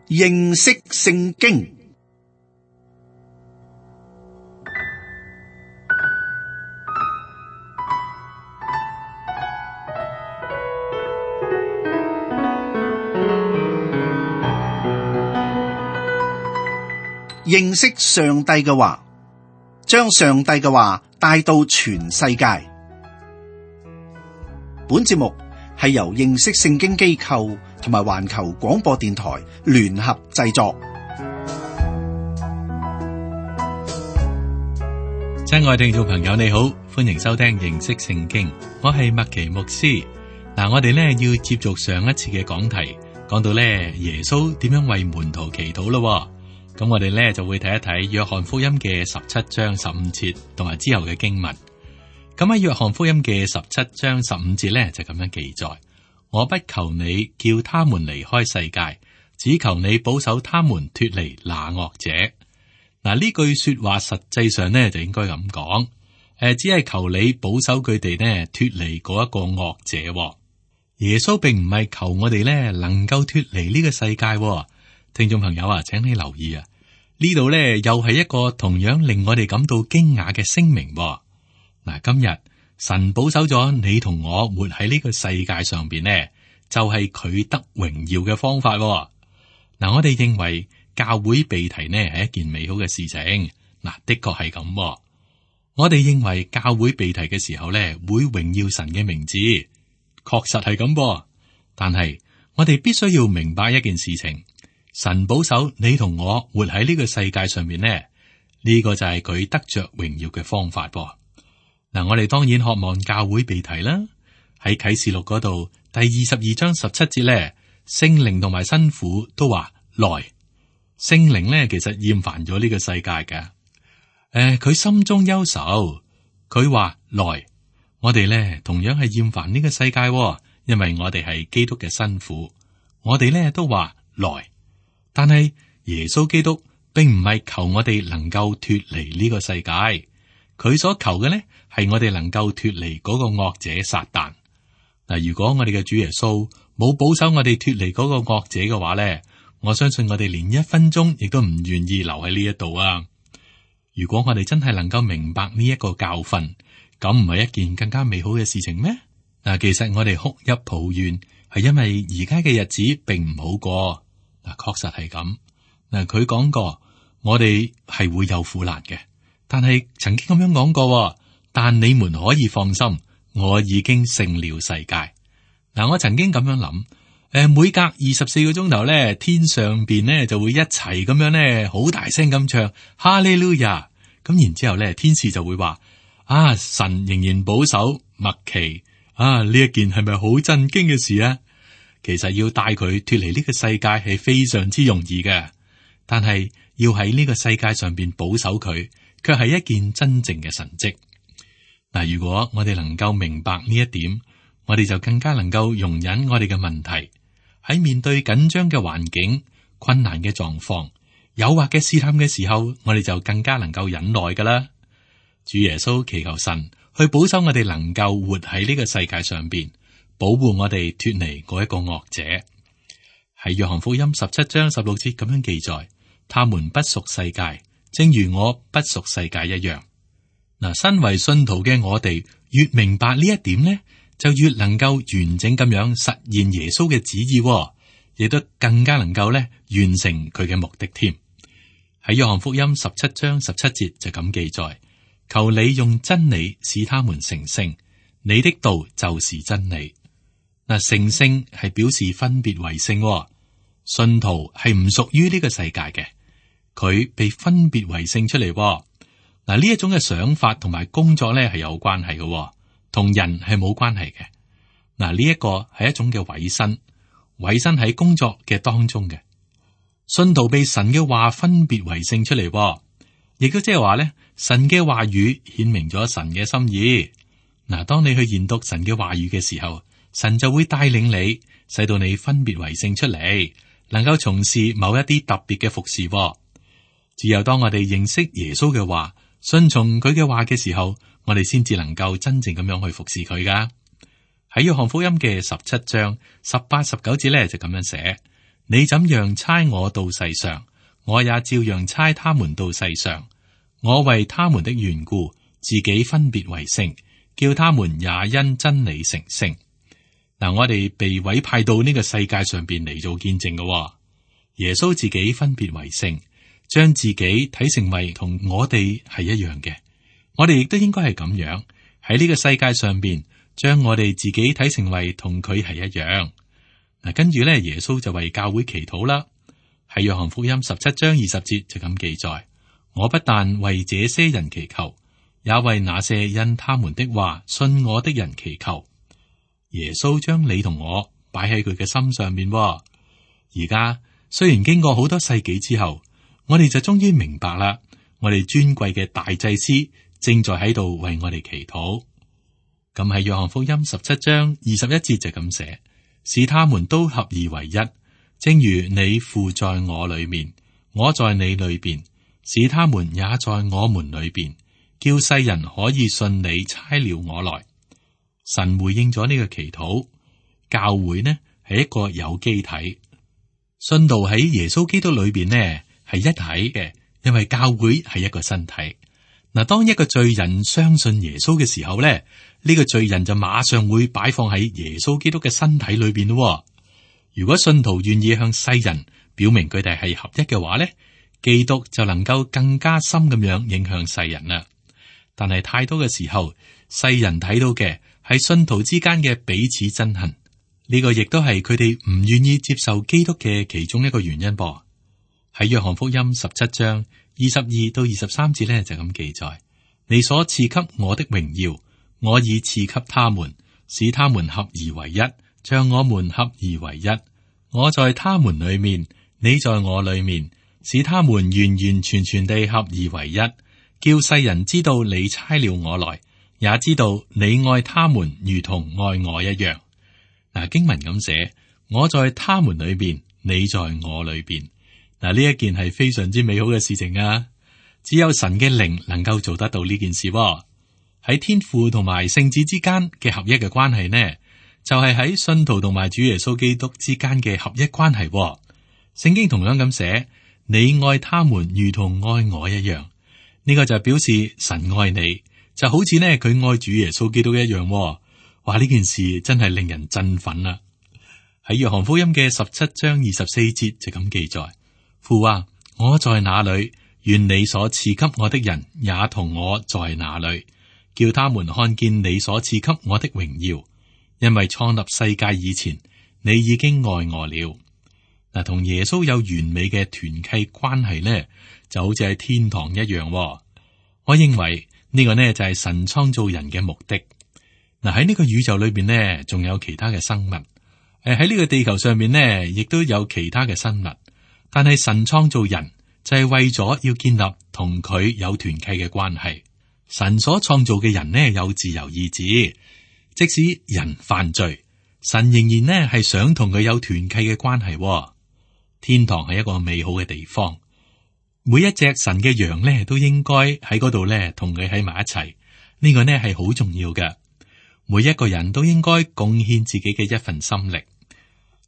認識聖經。認識上帝嘅話，將上帝嘅話帶到全世界。本節目係由認識聖經機構同埋環球廣播電台聯合製作。親愛聽眾朋友，你好，歡迎收聽認識聖經，我係麥奇牧師。我哋要接續上一次嘅講題，講到耶穌點樣為門徒祈禱咯。咁我哋就會睇一睇約翰福音嘅17章15節同埋之後嘅經文。咁喺約翰福音嘅17章15節就咁樣記載：我不求你叫他們離開世界，只求你保守他們脫離那惡者。呢句說話實際上就應該咁講，只係求你保守佢哋脫離嗰一個惡者。耶穌並唔係求我哋能夠脫離呢個世界。聽眾朋友啊，請你留意啊，呢度又係一個同樣令我哋感到驚訝嘅聲明。今日神保守咗你同我活喺呢個世界上邊就係佢得榮耀嘅方法。我哋認為教會被提係一件美好嘅事情。的確係咁。我哋認為教會被提嘅時候會榮耀神嘅名字，確實係咁。但係我哋必須要明白一件事情。神保守你同我活喺呢個世界上面呢個就係佢得着榮耀嘅方法。我哋當然渴望教會被提啦。喺啟示錄嗰度第22章17節聖靈同埋新婦都話來。聖靈其實厭煩咗呢個世界嘅，佢心中憂愁，佢話來。我哋同樣係厭煩呢個世界，因為我哋係基督嘅新婦，我哋都話來。但係耶穌基督並唔係求我哋能夠脫離呢個世界，佢所求嘅係我哋能夠脫離嗰個惡者撒旦。如果我哋嘅主耶穌冇保守我哋脫離嗰個惡者嘅話我相信我哋連1分鐘亦都唔願意留喺呢一度啊！如果我哋真係能夠明白呢一個教訓，咁唔係一件更加美好嘅事情咩？其實我哋哭泣抱怨係因為而家嘅日子並唔好過。確實係咁。佢講過，我哋係會有苦難嘅，但係曾經咁樣講過，但你們可以放心，我已經勝了世界。我曾經咁樣諗，每隔24個鐘頭天上邊就會一齊咁樣好大聲咁唱哈利路亞。咁然之後天使就會話：神仍然保守麥奇呢一件係咪好震驚嘅事啊？其實要帶佢脫離呢個世界係非常之容易嘅，但係要喺呢個世界上邊保守佢，卻係一件真正嘅神蹟。如果我哋能夠明白呢一點，我哋就更加能夠容忍我哋嘅問題。喺面對緊張嘅環境、困難嘅狀況、誘惑嘅試探嘅時候，我哋就更加能夠忍耐噶啦。主耶穌祈求神去保守我哋能夠活喺呢個世界上邊，保護我哋脫離嗰一個惡者。喺約翰福音17章16節咁樣記載：他們不屬世界，正如我不屬世界一樣。身為信徒嘅我哋越明白呢一點就越能夠完整咁樣實現耶穌嘅旨意，亦都更加能夠完成佢嘅目的添。喺約翰福音17章17節就咁記載：求你用真理使他們成聖，你的道就是真理。成聖係表示分別為聖，信徒係唔屬於呢個世界嘅，佢被分別為聖出嚟。呢一種嘅想法同埋工作係有關係嘅，同人係冇關係嘅。呢一個係一種嘅委身，委身喺工作嘅當中嘅。信徒被神嘅話分別為聖出嚟，亦都即係話神嘅話語顯明咗神嘅心意。當你去研讀神嘅話語嘅時候，神就會帶領你，使到你分別為聖出嚟，能夠從事某一啲特別嘅服侍。只有當我哋認識耶穌嘅話，順從佢嘅話嘅時候，我哋先至能夠真正咁樣去服侍佢噶。喺約翰福音嘅17章18、19節就咁樣寫：你怎樣差我到世上，我也照樣差他們到世上。我為他們的緣故，自己分別為聖，叫他們也因真理成聖。嗱，我哋被委派到呢個世界上邊嚟做見證嘅。耶穌自己分別為聖，將自己睇成為同我哋係一樣嘅。我哋亦都應該係咁樣喺呢個世界上邊，將我哋自己睇成為同佢係一樣。嗱，跟住咧，耶穌就為教會祈禱啦。喺約翰福音17章20節就咁記載：我不但為這些人祈求，也為那些因他們的話信我的人祈求。耶穌將你同我擺喺佢嘅心上面。而家雖然經過好多世紀之後，我哋就終於明白啦。我哋尊貴嘅大祭司正在喺度為我哋祈禱。咁喺約翰福音17章21節就咁寫：使他們都合而為一，正如你父在我裏面，我在你裏邊，使他們也在我們裏邊，叫世人可以信你差了我來。神回應咗呢個祈禱。教會呢係一個有機體，信道喺耶穌基督裏邊呢係一體嘅，因為教會係一個身體。嗱，當一個罪人相信耶穌嘅時候咧，呢個罪人就馬上會擺放喺耶穌基督嘅身體裏邊咯。如果信徒願意向世人表明佢哋係合一嘅話咧，基督就能夠更加深咁樣影響世人啦。但係太多嘅時候，世人睇到嘅係信徒之間嘅彼此憎恨，呢個亦都係佢哋唔願意接受基督嘅其中一個原因噃。喺約翰福音17章22到23節咧就咁記載：你所賜給我的榮耀，我已賜給他們，使他們合而為一，像我們合而為一。我在他們裏面，你在我裏面，使他們完完全全地合而為一，叫世人知道你差了我來，也知道你愛他們如同愛我一樣。嗱，經文咁寫：我在他們裏面，你在我裏邊。嗱，呢一件係非常之美好嘅事情啊！只有神嘅靈能夠做得到呢件事。喺天父同埋聖子之間嘅合一嘅關係呢，就係喺信徒同埋主耶穌基督之間嘅合一關係。聖經同樣咁寫：你愛他們如同愛我一樣。呢個就表示神愛你，就好似呢佢愛主耶穌基督一樣。哇！呢件事真係令人振奮啊！喺約翰福音嘅17章24節就咁記載：父啊，我在哪裏，願你所賜給我的人也同我在哪裏，叫他們看見你所賜給我的榮耀。因為創立世界以前，你已經愛我了。嗱，同耶穌有完美嘅團契關係呢，就好似喺天堂一樣。我認為呢個呢就係神創造人嘅目的。嗱，喺呢個宇宙裏邊呢，仲有其他嘅生物。喺呢個地球上面呢，亦都有其他嘅生物。但係神創造人就係為咗要建立同佢有團契嘅關係。神所創造嘅人呢，有自由意志，即使人犯罪，神仍然呢係想同佢有團契嘅關係。天堂係一個美好嘅地方，每一隻神嘅羊呢都應該喺嗰度呢同佢喺埋一齊。呢個呢係好重要嘅，每一個人都應該貢獻自己嘅一份心力。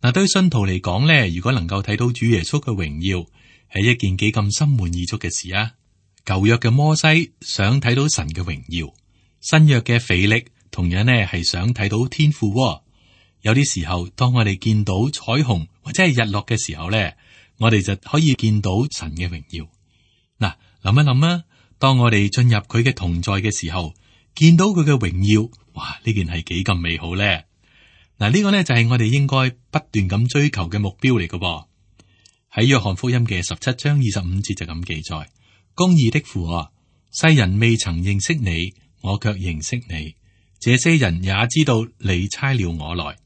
嗱，對信徒嚟講咧，如果能夠睇到主耶穌嘅榮耀，係一件幾咁心滿意足嘅事啊！舊約嘅摩西想睇到神嘅榮耀，新約嘅腓力同樣呢係想睇到天父。有啲時候，當我哋見到彩虹或者係日落嘅時候咧，我哋就可以見到神嘅榮耀。嗱，諗一諗啊，當我哋進入佢嘅同在嘅時候，見到佢嘅榮耀，哇！呢件係幾咁美好咧！嗱，呢個呢就係我哋應該不斷咁追求嘅目標嚟嘅。喺約翰福音嘅17章25節就咁記載：公義的父啊，世人未曾認識你，我卻認識你。這些人也知道你差了我來。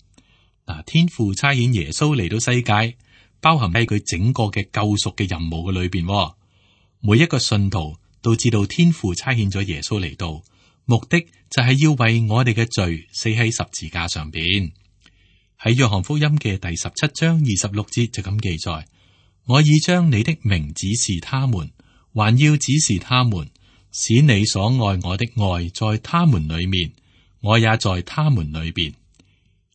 嗱，天父差遣耶穌嚟到世界，包含喺佢整個嘅救贖嘅任務嘅裏邊。每一個信徒都知道天父差遣咗耶穌嚟到，目的就係要為我哋嘅罪死喺十字架上邊。喺約翰福音嘅第17章26節就咁記載：我已將你的名指示他們，還要指示他們，使你所愛我的愛在他們裏面，我也在他們裏邊。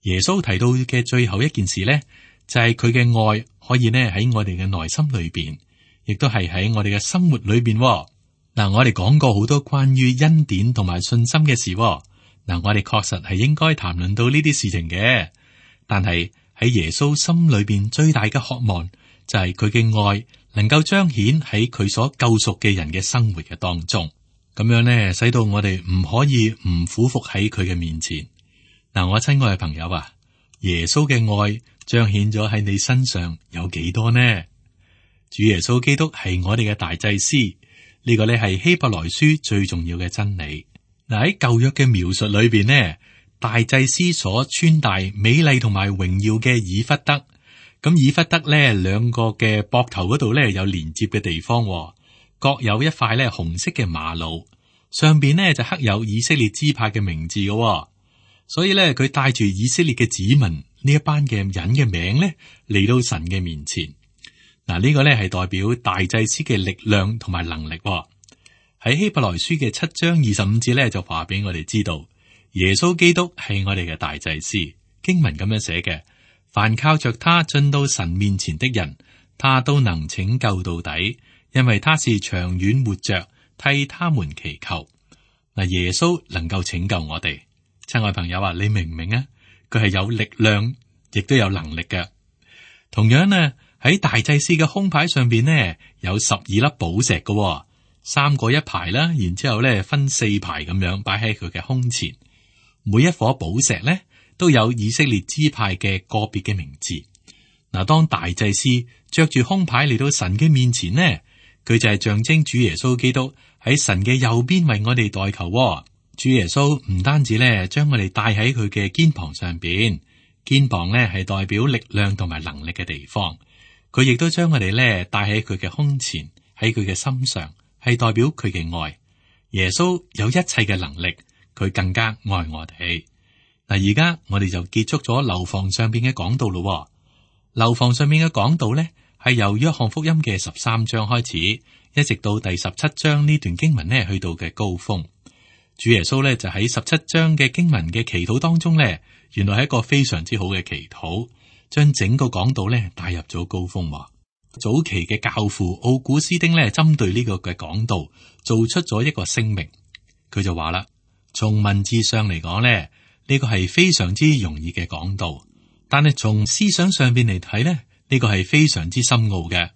耶穌提到嘅最後一件事呢，就係佢嘅愛可以呢喺我哋嘅內心裏邊，亦都係喺我哋嘅生活裏邊。嗱，我哋講過好多關於恩典同埋信心嘅事。嗱，我哋確實係應該談論到呢啲事情嘅。但係喺耶穌心裏邊最大嘅渴望就係佢嘅愛能夠彰顯喺佢所救贖嘅人嘅生活嘅當中，咁樣呢，使到我哋唔可以唔俯伏喺佢嘅面前。嗱，我親愛嘅朋友啊，耶穌嘅愛彰顯咗喺你身上有幾多呢？主耶穌基督係我哋嘅大祭司，呢個呢係希伯來書最重要嘅真理。嗱，喺舊約嘅描述裏邊呢，大祭司所穿戴美麗同埋榮耀嘅以弗得，咁以弗得呢兩個嘅膊頭嗰度呢有連接嘅地方，各有一塊呢紅色嘅瑪瑙，上邊呢就刻有以色列支派嘅名字嘅，所以呢，佢帶住以色列嘅子民呢一班嘅人嘅名呢嚟到神嘅面前。嗱，呢個呢係代表大祭司嘅力量同埋能力。喺希伯來書嘅7章25節呢就話俾我哋知道，耶穌基督係我哋嘅大祭司。經文咁樣寫嘅，凡靠着他進到神面前的人，他都能拯救到底，因為他是長遠活着，替他們祈求。嗱，耶穌能夠拯救我哋。親愛朋友啊，你明唔明啊？佢係有力量，亦都有能力嘅。同樣呢，喺大祭司嘅胸牌上邊呢，有12粒寶石嘅，3個一排啦，然之後呢分4排咁樣擺喺佢嘅胸前。每一顆寶石呢，都有以色列支派嘅個別嘅名字。嗱，當大祭司着住胸牌嚟到神嘅面前呢，佢就係象徵主耶穌基督喺神嘅右邊為我哋代求。主耶穌唔單止呢將我哋帶喺佢嘅肩膀上邊，肩膀呢係代表力量同埋能力嘅地方。佢亦都將我哋呢帶喺佢嘅胸前，喺佢嘅心上，係代表佢嘅愛。耶穌有一切嘅能力，佢更加愛我哋。嗱，而家我哋就結束咗樓房上邊嘅講道咯。樓房上面嘅講道呢，係由約翰福音嘅13章開始，一直到第17章呢段經文呢去到嘅高峰。主耶穌呢就喺17章嘅經文嘅祈禱當中呢，原來係一個非常之好嘅祈禱，將整個講道呢帶入咗高峰。早期嘅教父奧古斯丁呢，針對呢個嘅講道做出咗一個聲明，佢就話啦，從文字上嚟講呢，呢個係非常之容易嘅講道，但係從思想上邊嚟睇呢，呢個係非常之深奧嘅。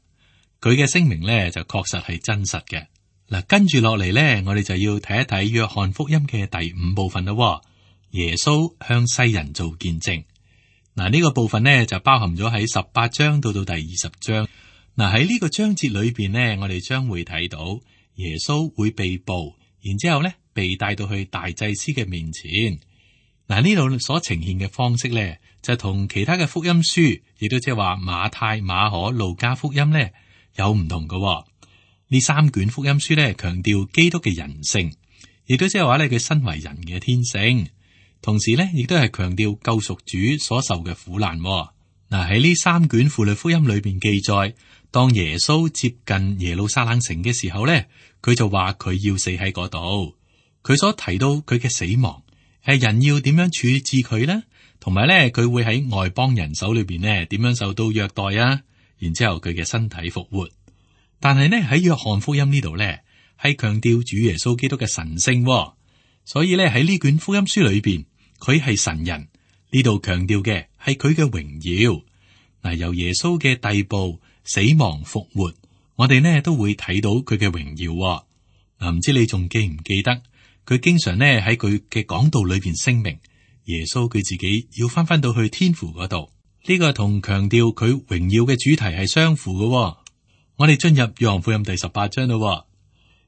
佢嘅聲明呢就確實係真實嘅。嗱，跟住落嚟呢，我哋就要睇一睇約翰福音嘅第5部分咯。耶穌向世人做見證。嗱，呢個部分呢就包含咗喺18章到第20章。嗱，喺呢個章節裏邊呢，我哋將會睇到耶穌會被捕，然之後呢被帶到去大祭司嘅面前。嗱，呢度所呈現嘅方式呢，就同其他嘅福音書，亦都即係話馬太、馬可、路加福音呢有唔同嘅。呢3卷福音書呢，強調基督嘅人性，亦都即係話呢佢身為人嘅天性，同時呢亦都係強調救贖主所受嘅苦難。嗱，喺呢3卷符類福音裏邊記載，當耶穌接近耶路撒冷城嘅時候呢，佢就話佢要死喺嗰度。佢所提到佢嘅死亡係人要點樣處置佢呢？同埋呢佢會喺外邦人手裏邊呢點樣受到虐待啊？然之後佢嘅身體復活。但係呢喺約翰福音呢度呢係強調主耶穌基督嘅神性，所以呢喺呢卷福音書裏邊佢係神人，呢度強調嘅係佢嘅榮耀。嗱，由耶穌嘅逮捕、死亡、復活，我哋呢都會睇到佢嘅榮耀。嗱，唔知你仲記唔記得佢經常呢喺佢嘅講道裏邊聲明耶穌佢自己要翻到去天父嗰度，呢個同強調佢榮耀嘅主題係相符嘅。我哋進入約翰福音第18章咯。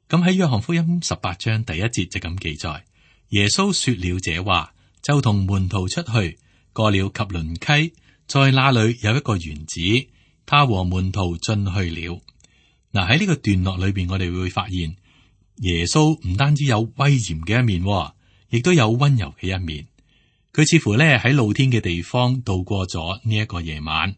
咁喺約翰福音18章第1節就咁記載，耶穌說了這話，就同門徒出去，過了汲淪溪，在那裏有一個園子，他和門徒進去了。嗱，喺呢個段落裏邊，我哋會發現耶穌唔單止有威嚴嘅一面，亦都有溫柔嘅一面。佢似乎咧喺露天嘅地方度過咗呢一個夜晚。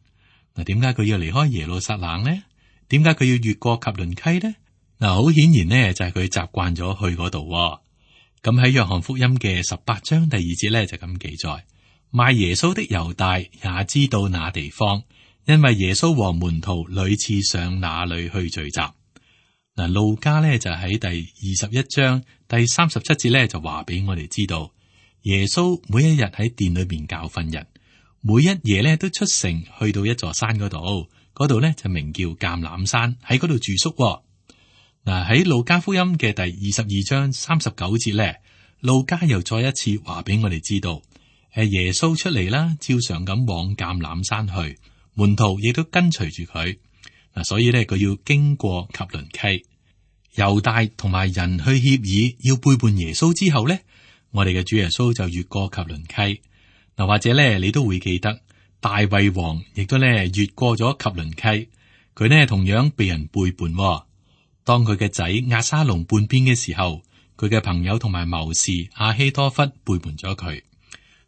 嗱，點解佢要離開耶路撒冷呢？點解佢要越過汲淪溪呢？嗱，好顯然呢，就係佢習慣咗去嗰度。咁喺約翰福音嘅18章第2節咧就咁記載，賣耶穌的猶大也知道那地方，因為耶穌和門徒屢次上那裏去聚集。嗱，路加咧就喺第21章第37節咧就話俾我哋知道，耶穌每一日喺殿裏邊教訓人，每一夜咧都出城去到一座山嗰度咧就名叫橄欖山，喺嗰度住宿。嗱，喺路加福音嘅第22章39節咧，路加又再一次話俾我哋知道，耶穌出嚟啦，照常咁往橄欖山去，門徒亦都跟隨住佢。嗱，所以咧佢要經過汲淪溪，猶大同埋人去協議要背叛耶穌之後咧，我哋嘅主耶穌就越過汲淪溪。嗱，或者咧你都會記得大衛王亦都咧越過咗汲淪溪，佢呢同樣被人背叛。當佢嘅仔押沙龍叛變嘅時候，佢嘅朋友同埋謀士亞希多弗背叛咗佢。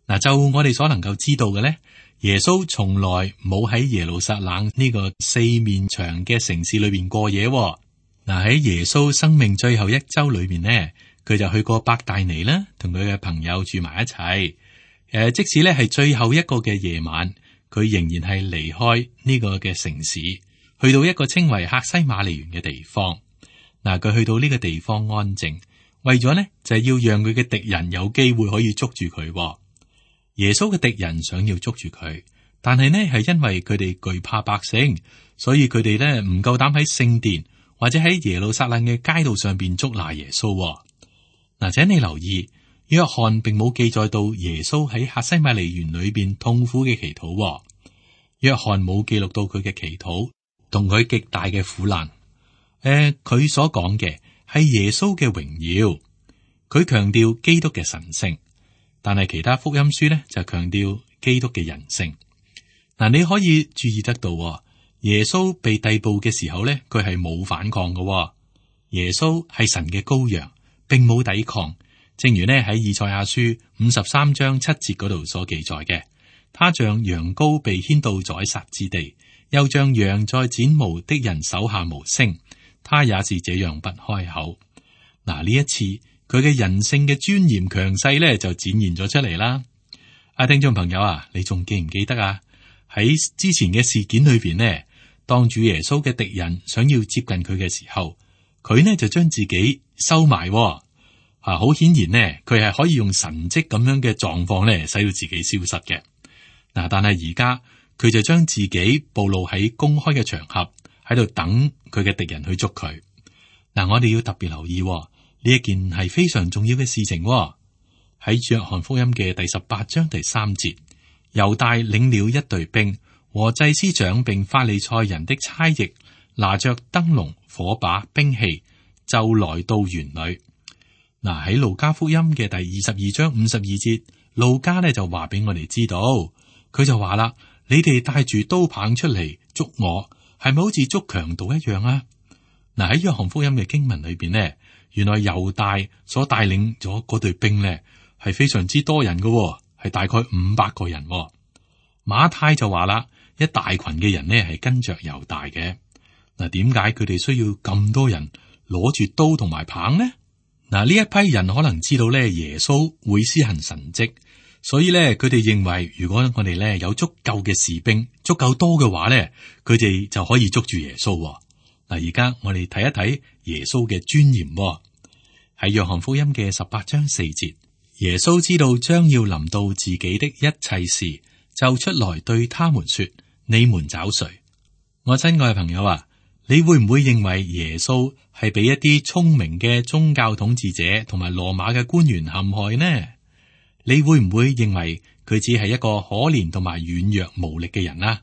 嗱，就我哋所能夠知道嘅咧，耶穌從來冇喺耶路撒冷呢個四面牆嘅城市裏邊過夜。嗱，喺耶穌生命最後一周裏面呢，佢就去過伯大尼啦，同佢嘅朋友住埋一齊。即使咧係最後一個嘅夜晚，佢仍然係離開呢個嘅城市，去到一個稱為客西馬尼園嘅地方。嗱，佢去到呢個地方安靜，為咗呢就係要讓佢嘅敵人有機會可以捉住佢。耶穌嘅敵人想要捉住佢，但係呢係因為佢哋懼怕百姓，所以佢哋呢唔夠膽喺聖殿或者喺耶路撒冷嘅街道上邊捉拿耶穌。嗱，請你留意，約翰並冇記載到耶穌喺客西馬尼園裏邊痛苦嘅祈禱。約翰冇記錄到佢嘅祈禱同佢極大嘅苦難。佢所講嘅係耶穌嘅榮耀，佢強調基督嘅神聖。但係其他福音書咧就強調基督嘅人性。嗱，你可以注意得到，耶穌被逮捕嘅時候咧，佢係冇反抗嘅。耶穌係神嘅羔羊，並冇抵抗。正如呢喺以賽亞書53章7節嗰度所記載嘅，他像羊羔被牽到宰殺之地，又像羊在剪毛的人手下無聲，他也是這樣不開口。嗱，呢一次。佢嘅人性嘅尊嚴強勢咧，就展現咗出嚟啦。聽眾朋友啊，你仲記唔記得啊？喺之前嘅事件裏邊呢，當主耶穌嘅敵人想要接近佢嘅時候，佢呢就將自己收埋。好顯然呢，佢係可以用神蹟咁樣嘅狀況咧，使到自己消失嘅。嗱，但係而家佢就將自己暴露喺公開嘅場合，喺度等佢嘅敵人去捉佢。嗱，我哋要特別留意。呢一件係非常重要嘅事情。喺約翰福音嘅第18章第3節，猶大領了一隊兵和祭司長並法利賽人的差役，拿着燈籠、火把、兵器，就來到園裏。嗱，喺路加福音嘅第22章52節，路加呢就話俾我哋知道，佢就話啦：你哋帶住刀棒出嚟捉我，係咪好似捉強盜一樣啊？嗱，喺約翰福音嘅經文裏邊呢，原來猶大所帶領咗嗰隊兵呢，係非常之多人嘅，係大概500個人。馬太就話啦，一大群嘅人呢係跟着猶大嘅。嗱，點解佢哋需要咁多人攞住刀同埋棒呢？嗱，呢一批人可能知道咧耶穌會施行神蹟，所以咧佢哋認為，如果我哋咧有足夠嘅士兵，足夠多嘅話咧，佢哋就可以捉住耶穌。嗱，而家我哋睇一睇耶穌嘅尊嚴。喺約翰福音嘅18章4節，耶穌知道將要臨到自己的一切事，就出來對他們說：你們找誰？我親愛嘅朋友啊，你會唔會認為耶穌係俾一啲聰明嘅宗教統治者同埋羅馬嘅官員陷害呢？你會唔會認為佢只係一個可憐同埋軟弱無力嘅人啊？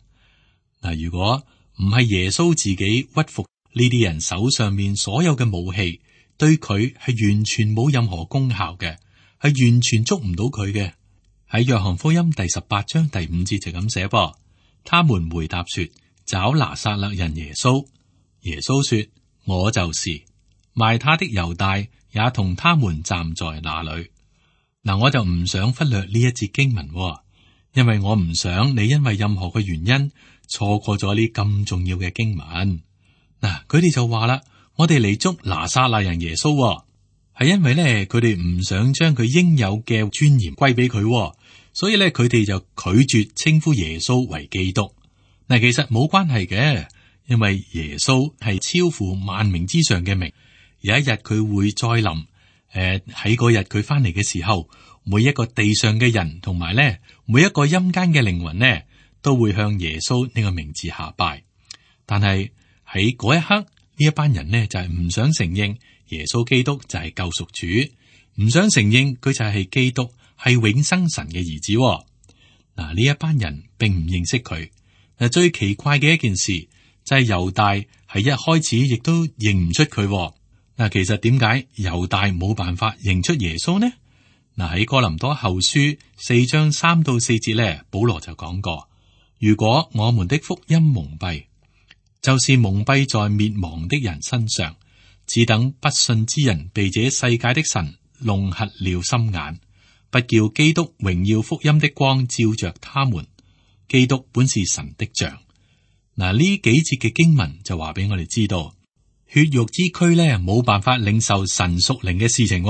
嗱，如果唔係耶穌自己屈服呢啲人手上面所有嘅武器，對佢係完全冇任何功效嘅，係完全捉唔到佢嘅。喺約翰福音第18章第5節就咁寫噃，他們回答說：找拿撒勒人耶穌。耶穌說：我就是。賣他的猶大也同他們站在那裏。嗱，我就唔想忽略呢一節經文，因為我唔想你因為任何嘅原因錯過咗呢咁重要嘅經文。嗱，佢哋就話啦，我哋嚟捉拿撒勒人耶穌，係因為咧佢哋唔想將佢應有嘅尊嚴歸俾佢，所以咧佢哋就拒絕稱呼耶穌為基督。嗱，其實冇關係嘅，因為耶穌係超乎萬名之上嘅名。有一日佢會再臨，喺嗰日佢翻嚟嘅時候，每一個地上嘅人同埋咧，每一個陰間嘅靈魂呢，都會向耶穌呢個名字下拜。但係喺嗰一刻，呢一班人呢就係唔想承認耶穌基督就係救贖主，唔想承認佢就係基督，係永生神嘅兒子。嗱，呢一班人並唔認識佢。嗱，最奇怪嘅一件事就係猶大係一開始亦都認唔出佢。嗱，其實點解猶大冇辦法認出耶穌呢？嗱，喺哥林多後書4章3到4節咧，保羅就講過：如果我們的福音蒙蔽，就是蒙蔽在滅亡的人身上，只等不信之人被這世界的神弄瞎了心眼，不叫基督榮耀福音的光照着他們。基督本是神的像。嗱，呢幾節嘅經文就話俾我哋知道，血肉之軀咧冇辦法領受神屬靈嘅事情，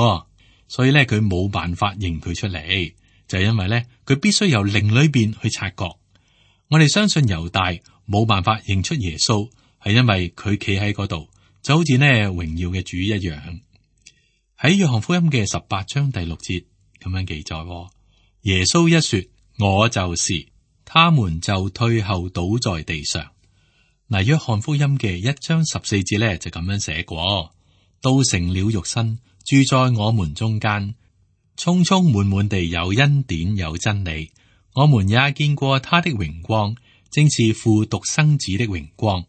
所以咧佢冇辦法認佢出嚟，就係因為咧佢必須由靈裏邊去察覺。我哋相信猶大冇辦法認出耶穌，係因為佢企喺嗰度，就好似呢榮耀嘅主一樣。喺約翰福音嘅18章第6節咁樣記載，耶穌一說我就是，他們就退後倒在地上。嗱，約翰福音嘅1章14節咧就咁樣寫過，道成了肉身，住在我們中間，充充滿滿地有恩典有真理。我們也見過他的榮光，正是父獨生子的榮光。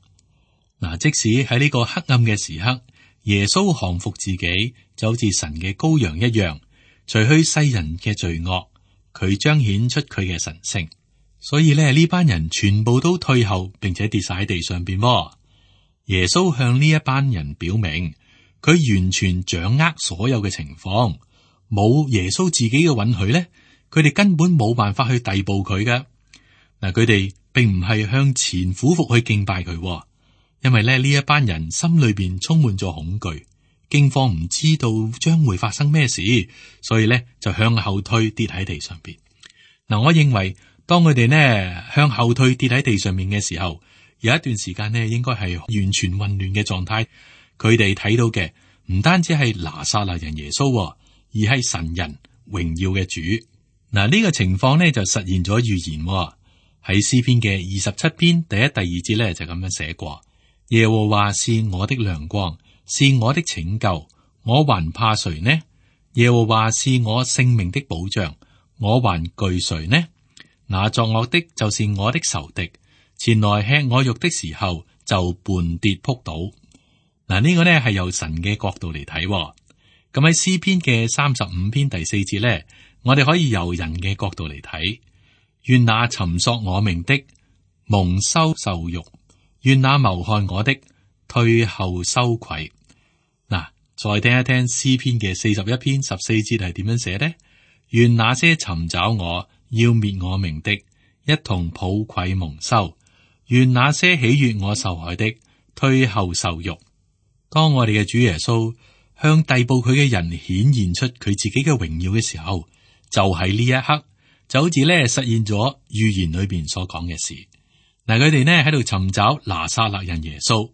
嗱，即使喺呢個黑暗嘅時刻，耶穌降服自己，就好似神嘅羔羊一樣，除去世人嘅罪惡，佢彰顯出佢嘅神聖。所以咧，呢班人全部都退後，並且跌晒喺地上邊。耶穌向呢一班人表明，佢完全掌握所有嘅情況，冇耶穌自己嘅允許咧，佢哋根本冇辦法去逮捕佢嘅。嗱，佢哋並唔係向前俯伏去敬拜佢，因為咧呢一班人心裏邊充滿咗恐懼、驚慌，唔知道將會發生咩事，所以咧就向後退，跌喺地上邊。嗱，我認為，當佢哋呢向後退跌喺地上面嘅時候，有一段時間呢應該係完全混亂嘅狀態。佢哋睇到嘅唔單止係拿撒勒人耶穌，而係神人榮耀嘅主。嗱，呢個情況呢就實現咗預言。喺詩篇嘅27篇第1、第2節呢就咁樣寫過：耶和華是我的亮光，是我的拯救，我還怕誰呢？耶和華是我性命的保障，我還懼誰呢？那作惡的就是我的仇敵，前來吃我肉的時候就絆跌仆倒。嗱，呢個呢係由神嘅角度嚟睇。咁喺詩篇嘅35篇第4節呢，我哋可以由人嘅角度嚟睇。願那尋索我命的蒙羞受辱，願那謀害我的退後羞愧。嗱，再聽一聽詩篇嘅41篇14節係點樣寫呢？願那些尋找我要滅我命的，一同抱愧蒙羞；願那些喜悅我受害的，退後受辱。當我哋嘅主耶穌向逮捕佢嘅人顯現出佢自己嘅榮耀嘅時候，就喺呢一刻，就好似咧實現咗預言裏邊所講嘅事。嗱，佢哋呢喺度尋找拿撒勒人耶穌，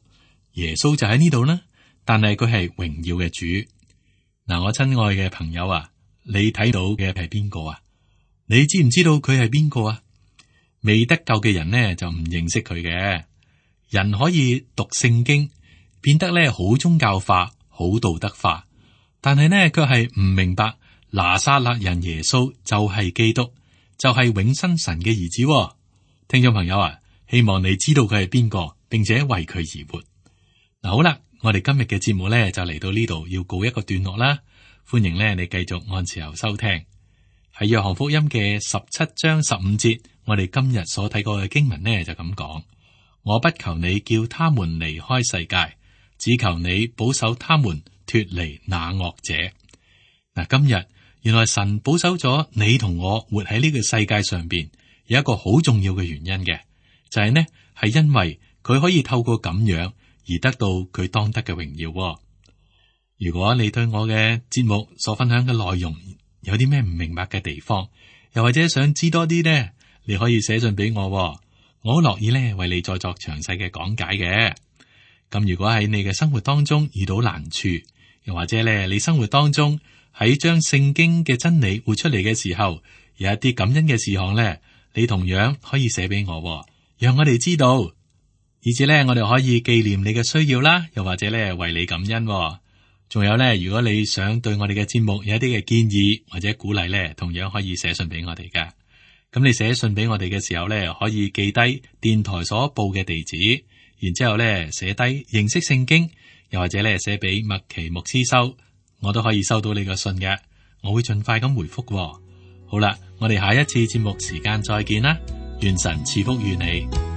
耶穌就喺呢度啦。但係佢係榮耀嘅主。嗱，我親愛嘅朋友啊，你睇到嘅係邊個啊？你知唔知道佢係邊個啊？未得救嘅人呢就唔認識佢嘅。人可以讀聖經，變得咧好宗教化、好道德化，但係呢卻係唔明白拿撒勒人耶穌就係基督，就係永生神嘅兒子。聽眾朋友啊，希望你知道佢係邊個，並且為佢而活。嗱，好啦，我哋今日嘅節目呢就嚟到呢度，要告一個段落啦。歡迎呢你繼續按時候收聽。喺約翰福音嘅17章15節，我哋今日所睇過嘅經文呢就咁講：我不求你叫他們離開世界，只求你保守他們脫離那惡者。嗱，今日原來神保守咗你同我活喺呢個世界上邊，有一個好重要嘅原因嘅，就係呢係因為佢可以透過咁樣而得到佢當得嘅榮耀。如果你對我嘅節目所分享嘅內容有啲咩唔明白嘅地方，又或者想知多啲呢，你可以寫信俾我，我好樂意咧為你再作詳細嘅講解嘅。咁如果喺你嘅生活當中遇到難處，又或者咧你生活當中喺將聖經嘅真理活出嚟嘅時候，有一啲感恩嘅事項咧，你同樣可以寫俾我，讓我哋知道，以至咧我哋可以紀念你嘅需要啦，又或者咧為你感恩。仲有咧，如果你想對我哋嘅節目有一啲嘅建議或者鼓勵咧，同樣可以寫信俾我哋噶。咁你寫信俾我哋嘅時候咧，可以記低電台所報嘅地址，然之後咧寫低認識聖經，又或者咧寫俾麥奇牧師收，我都可以收到你個信嘅，我會盡快咁回覆喎。好啦，我哋下一次節目時間再見啦，願神賜福於你。